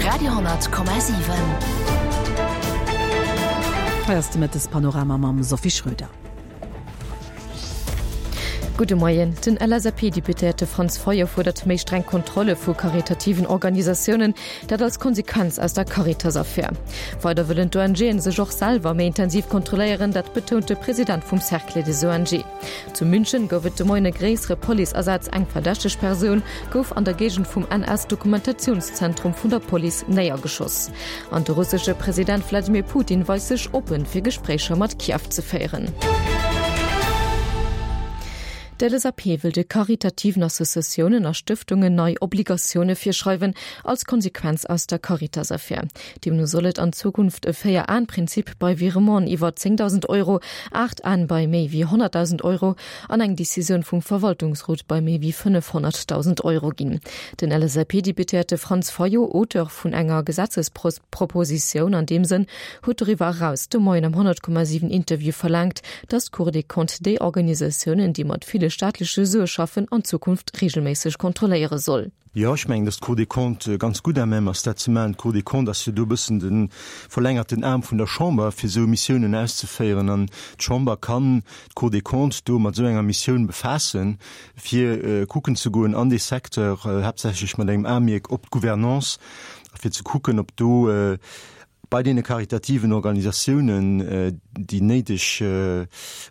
Radio,7. Hei ass de Mëttespanorama mam Sophie Schröder. Gudde Moien. Den LSAP-Deputéierte Franz Fayot fuerdert méi streng Kontrolle vu karitativen Organisatiounen, dat als Konsequenz aus der Caritas-Affär. Weider wëllen d'ONGen sech och selwer méi intensiv kontrolléieren, dat betount de President vum Cercle des ONG. Zu München gouf et de Moien e gréissere Policeasaz. Eng verdächteg Persoun gouf an der Géigend vum NS-Dokumentationszentrum vun der Police néiergeschoss. An de russesche President Wladimir Putin weist sech oppen, fir Gespréicher mat Kiew ze féieren. D'LSAP wëll de karitativen Associatiounen a Stëftungen nei Obligatioune virschreiwen, als Konsequenz aus der Caritas-Affär. Deemno soll et an Zukunft e Véier-Aen-Prinzip bei Virementen iwwer 10.000 Euro, 8 Aen bei méi wéi 100.000 Euro an eng Decisioun vum Verwaltungsrot bei méi wéi 500.000 Euro ginn. Den LSAP-Deputéierte Franz Fayot, Auteur vun enger Gesetzespropositioun an deem Sënn, huet doriwwer eraus de Moien am 100,7 Interview verlaangt, datt d'Cour des Comptes déi Organisatiounen, déi mat ville staatleche Sue schaffen, an Zukunft reegelméisseg kontrolléiere soll. Jo, ech mengen, datt d'Cour des Comptes ganz gutt à même ass, dat ze maachen. D'Cour des Comptes ass jo do e bëssen de verlängerten Aarm vun der Chamber, fir esou Missiounen auszeféieren. An d'Chamber kann d'Cour des Comptes do mat esou enger Missioun befaassen, fir kucken ze goen an dee Secteur, haaptsächlech mat engem Aemierk op d'Gouvernance, a fir ze kucken, ob do bei deene karitativen Organisatiounen déi néideg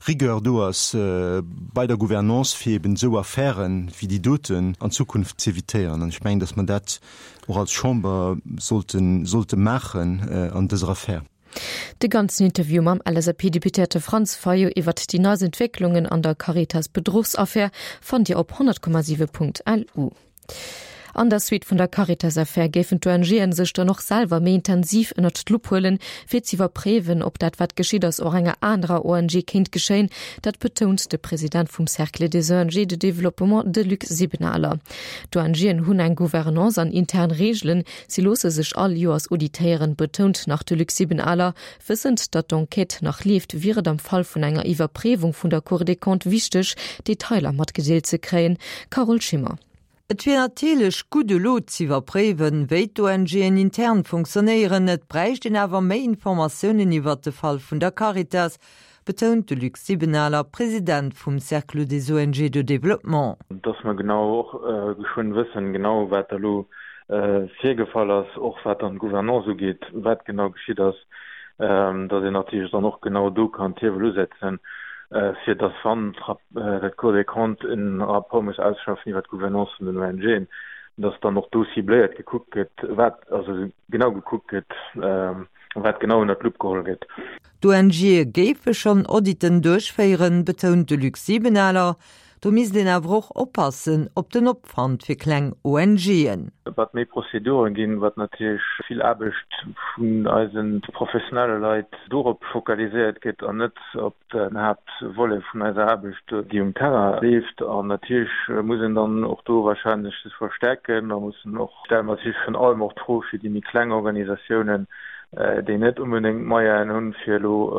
Rigueur do ass bei der Gouvernance, fir eben esou Affäre wéi déi doten an Zukunft z'évitéieren. An ech mengen, datt mer dat och als Chamber sollte sollte maachen an dëser Affär. De ganzen Interview mam LSAP-Deputéierte Franz Fayot iwwert déi neist Entwécklungen an der Caritas-Bedruchsaffär fannt Dir op 100,7.lu. An der Suite vun der Caritas-Affär géifen d'ONGen sech dann och selwer méi intensiv ënnert d'Lupp huelen, fir z'iwwerpréiwen, ob dat wat geschitt ass och enger anerer ONG kéint geschéien. Dat betount de President vum Cercle des ONG de développement, de Luc Sibenaler. D'ONGen hunn eng Gouvernance an intern Reegelen. Si loosse sech all Joers auditéieren, betount nach de Luc Sibenaler. Wëssend, datt d'Enquête nach leeft, wier et am Fall vun enger Iwwerpréiwung vun der Cour des Comptes wichteg, Detailer matgedeelt ze kréien. Carole Schimmer. Et wier natierlech gutt elo z'iwwerpréiwen, wéi d'ONGen intern funktionéieren. Et bräicht een awer méi Informatiounen iwwert de Fall vun der Caritas, betount de Luc Sibenaler, President vum Cercle des ONG de développement. Dass mer genau och geschwënn wëssen, genau wat da lo virgefall ass, och wat dann d'Gouvernance ugeet, wat genau geschitt ass. dass een natierlech dann och genau do kann d'Hiewel usetzen, fir dass, wann d'Cour des Comptes en Rapport muss ausschaffen iwwert d'Gouvernance vun den ONGen, dass dann och do cibléiert gekuckt gëtt, wat, also genau gekuckt gëtt, wat genau ënnert d'Lupp geholl gëtt. D'ONGe géife schonn Auditen duerchféieren, betount de Luc Sibenaler. Do misst een awer och oppassen op den Opwand fir kleng ONGen. Wat méi Prozeduren ginn, wat natierlech vill Aarbecht vun eise professionelle Leit dorop fokaliséiert gëtt an net op den Haaptvolet vun eiser Aarbecht, déi um Terrain leeft. An natierlech muss een dann och do wahrscheinlech sech verstärken. Da mussen och, stelle mer natierlech virun allem och d'Fro fir déi méi kleng Organisatiounen, déi net onbedéngt d'Moyenen hunn, fir elo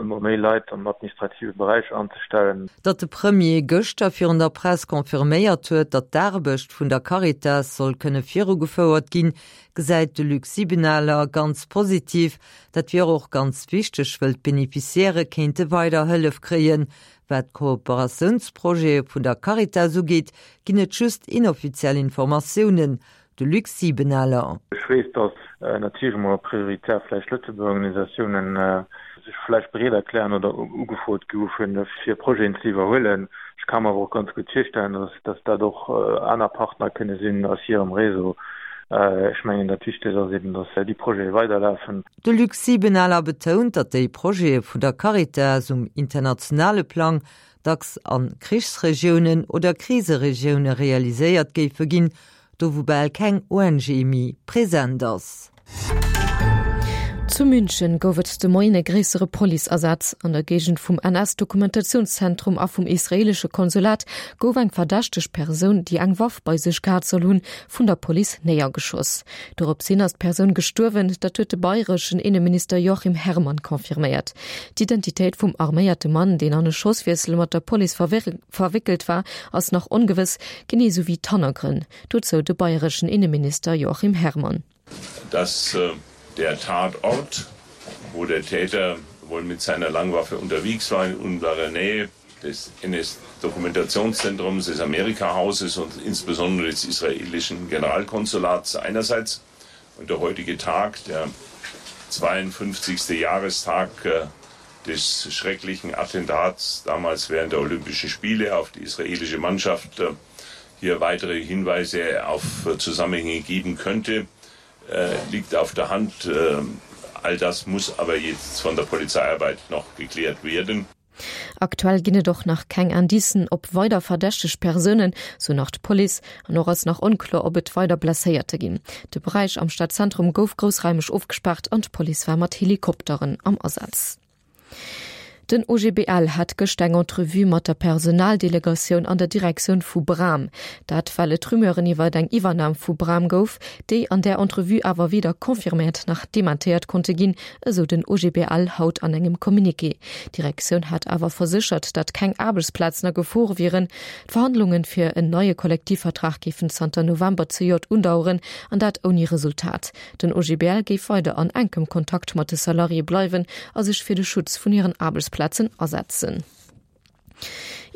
ëmmer méi Leit am administrative Beräich anzestellen. Datt de Premier gëschter virun der Press confirméiert huet, datt d'Aarbecht vun der Caritas soll kënne virugefouert ginn, gesäit de Luc Sibenaler ganz positiv. Dat wier och ganz wichteg, wëll d'Beneficiairë kéinte weider Hëllef kréien. Wat d'Kooperatiounsprojete vun der Caritas ugeet, ginn et just inoffiziell Informatiounen. De Luc Sibenaler. Ech weess, datt natierlech emol prioritär vläicht Lëtzebuerger Organisatiounen sech vläicht bereet erklären oder ugefrot goufen, fir Projeten ze iwwerhuelen. Ech ka mer awer och ganz gutt virstellen, datt dat och aner Partner kënne sinn aus hirem Réseau. Ech mengen, dat Wichtegst ass eben, datt déi Projete weiderlafen. De Luc Sibenaler betount, datt déi Projete vun der Caritas um internationale Plang dacks a Krichsregiounen oder Kriseregioune realiséiert géife ginn, do wou bal keng ONG méi present ass. Zu München gouf et de Moien e gréissere Policeasaz. An der Géigend vum NS-Dokumentationszentrum a vum israeelesche Konsulat gouf eng verdächteg Persoun, déi eng Waff bei sech gehat soll hunn, vun der Police néiergeschoss. Dorops hin ass d'Persoun gestuerwen, dat huet de bayreschen Inneminister Joachim Herrmann confirméiert. D'Identitéit vum arméierte Mann, deen an e Schosswiessel mat der Police verwéckelt war, ass nach ongewëss, genee sou wéi d'Hannergrënn. Dozou de bayreschen Inneminister Joachim Herrmann. Dass äh, der Tatort, wo der Täter wohl mit seiner Langwaffe unterwegs war in unserer Nähe des NS-Dokumentationszentrums des Amerikahauses und insbesondere des israelischen Generalkonsulats einerseits und der heutige Tag, der 52. Jahrestag äh, des schrecklichen Attentats damals während der Olympischen Spiele auf die israelische Mannschaft äh, hier weitere Hinweise auf äh, Zusammenhänge geben könnte, liegt auf der Hand. All das muss aber jetzt von der Polizeiarbeit noch geklärt werden. Aktuell ginn et och nach keng Indicen op weider verdächteg Persounen, sou nach d'Police. An och ass nach onkloer, ob et weider Blesséierte ginn. De Beräich am Stadzentrum gouf groussraimeg ofgespaart an d'Police war mat Helikopteren am Asaz. Den OGBL hat gëscht eng Entrevue mat der Personaldelegatioun an der Direktioun vu Bram. Dat well et Rumeuren iwwert eng Iwwernam vu Bram gouf, déi an där Entrevue awer weder confirméiert nach dementéiert konnte ginn, esou den OGBL haut an engem Communiqué. D'Direktioun hat awer verséchert, datt keng Aarbechtsplazen a Gefor wieren. D'Verhandlungen fir en neie Kollektivvertrag géifen zanter November zejoert undaueren, an dat ouni Resultat. Den OGBL géif weider an enkem Kontakt mat de Salariéë bleiwen a sech fir de Schutz vun hiren Aarbechtsplazen asetzen.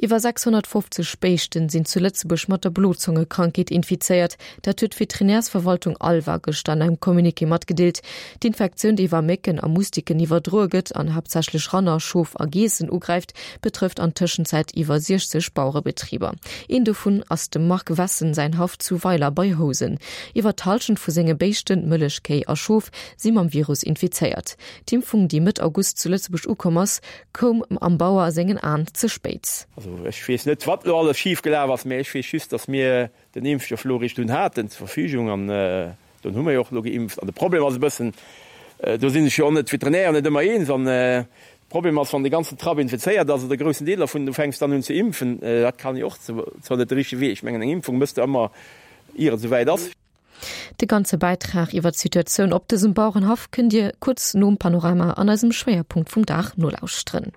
Iwwer 650 Béischten sinn zu Lëtzebuerg mat der Blozongekrankheet infizéiert. Dat huet d'Veterinärsverwaltung ALVA gëschter an engem Communiqué matgedeelt. D'Infektioun, déi iwwer Mécken a Mustiken iwwerdroe gëtt an haaptsächlech Ranner, Schof a Geessen ugräift, betrëfft an Tëschenzäit iwwer 60 Bauerebetriber. Een dovun ass dem Marc Wessen säin Haff zu Weiler bei Housen. Iwwer d'Hallschent vu senge Béischten, Mëllechkéi a Schof, si mam Virus infizéiert. D'Impfung, déi Mëtt August zu Lëtzebuerg ukomm ass, Koum am Bauer sengen Aan ze spéit. Also ech weess net, wat elo alles schif gelaf ass, mä ech weess just, datt mir den Impfstoff elo eréischt dunn haten zur Verfügung an dunn hu mir jo och elo geimpft. An de Problem ass e bëssen, do si sech jo och net d'Veterinären net ëmmer eens, an de Problem ass, wann de ganzen Trapp infizéiert ass oder e groussen Deel dervun, du fänks dann un ze impfen, dat kann jo och zwar net de richtege Wee, ech mengen eng Impfung mëss de ëmmer ier et esouwäit ass. De ganze Bäitrag iwwer d'Situatioun op dësem Bauerenhaff kënnt Dir kuerz nom Panorama an eisem Schwéierpunkt vum Dag nolauschteren.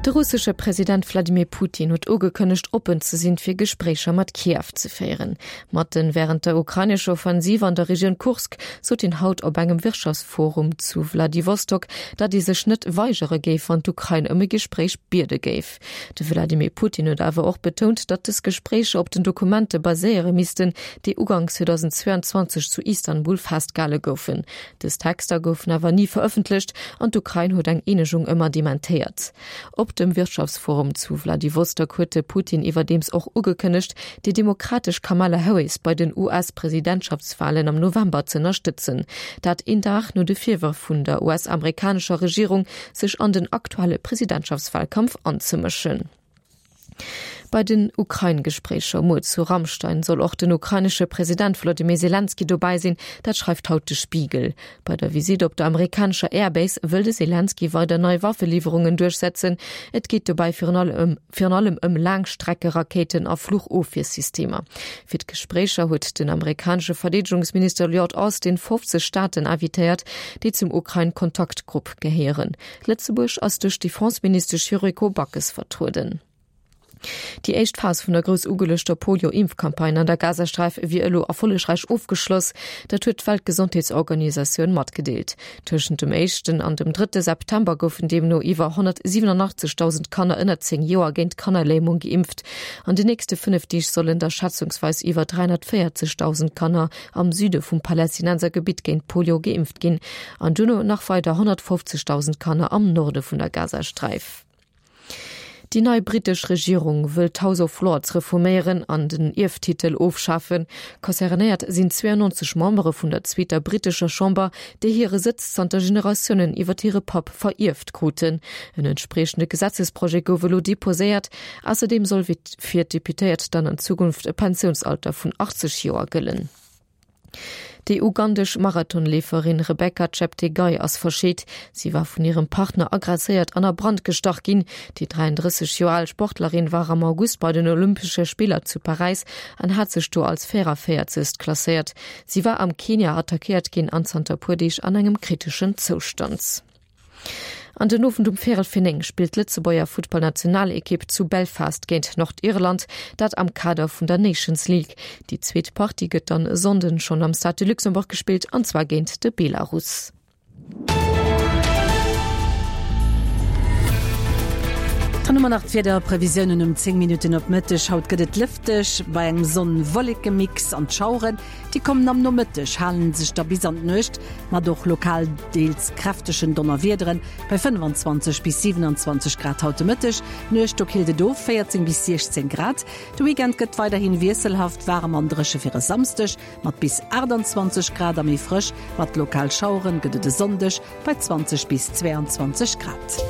De russesche President Wladimir Putin huet ugekënnegt, oppen ze sinn, fir Gespréicher mat Kiew ze féieren. Matten wärend der ukrainescher Offensiv an der Regioun Kursk sot hien haut op engem Wirtschaftsforum zu Wladiwostok, datt ee sech net weigere géif, wann d'Ukrain ëm e Gespréich biede géif. De Wladimir Putin huet awer och betount, datt dës Gespréicher op den Dokumente baséiere missten, déi Uganks 2022 zu Istanbul festgehale goufen. Dës Texter goufen awer ni verëffentlecht an d'Ukrain huet eng Eenegung ëmmer dementéiert. Op dem Wirtschaftsforum zu Wladiwostok huet de Putin iwwerdeems och ugekënnegt, déi demokratesch Kamala Harris bei den US-Presidentschaftswalen am November z'ënnerstëtzen. Dat een Dag no de Virwërf vun der US-amerikanescher Regierung, sech an den aktuelle Presidentschaftswahlkampf anzemëschen. Bei den Ukrain-Gespréicher muer zu Ramstein soll och den ukrainesche President Wolodymyr Selenskyj dobäi sinn, dat schreift haut de Spiegel. Bei der Visitt op der amerikanescher Airbase wëll de Selenskyj weider nei Waffeliwwerungen duerchsetzen. Et geet dobäi virun allem virun allem ëm Laangstreckerakéiten a Fluchofwiersystemer. Fir d'Gespréicher huet den amerikanesche Verdeedegungsminister Lloyd Austin 50 Staaten invitéiert, déi zum Ukrain-Kontaktgrupp gehéieren. Lëtzebuerg ass duerch d'Defenseministesch Yuriko Backes vertrueden. Déi éischt Phas vun der grouss ugeluechter Polio-Impfcampagne an der Gazasträif wier elo erfollegräich ofgeschloss. Dat huet d'Weltgesondheetsorganisatioun matgedeelt. Tëschent dem éischten an dem drëtte September goufen deemno iwwer 187.000 Kanner ënner 10 Joer géint Kannerlämung geimpft. An den nächste 5 Deeg sollen da schätzungsweis iwwer 340.000 Kanner am Süde vum Palästinensergebitt géint Polio geimpft ginn an duerno nach weider 150.000 Kanner am Norde vun der Gazasträif. Déi nei brittesch Regierung wëll d'House of Lords reforméieren an den Ierftitel ofschafen. Concernéiert sinn 92 Membere vun der zweeter brittescher Chamber, déi hire Sëtz zanter Generatiounen iwwer hire Papp verierft kruten. En entspriechende Gesetzesprojet gouf elo deposéiert. Ausserdeem soll fir d'Deputéiert dann an Zukunft e Pensiounsalter vun 80 Joer gëllen. Déi ugandesch Marathonleeferin Rebecca Cheptegei ass verscheet. Si war vun hirem Partner aggresséiert an a Brand gestach ginn. Déi 33 Joer al Sportlerin war am August bei den Olympesche Spiller zu Paräis an hat sech do als 44. Klasséiert. Si war am Kenia attackéiert ginn an zanter puer Deeg an engem kriteschen Zoustand. An den Owend um Véierel fir 9 spillt d'Lëtzebuerger Futtballnationalekipp zu Belfast géint Nordirland, dat am Kader vun der Nations League. Déi zweet Partie gëtt dann e Sonnden schonn am Stade de Luxembourg gespillt, an zwar géint de Belarus. Dann hu mer nach d'Wiederprevisiounen um 10 Minutten op Mëtteg. Haut gëtt et lëfteg bei engem Sonn-Wolleke-Mix an d'Schaueren, déi kommen am Nomëtteg, hale sech da bis an d'Nuecht mat och lokal deels kräftegen Donnerwiederen bei 25 bis 27 Grad haut de Mëtteg. D'Nuecht do killt et of, 14 bis 16 Grad. De Weekend gëtt weiderhi wiesselhaft waarem an dréche fir e Samsdeg mat bis 28 Grad a méi frësch mat lokal Schaueren gëtt et e Sonndeg bei 20 bis 22 Grad.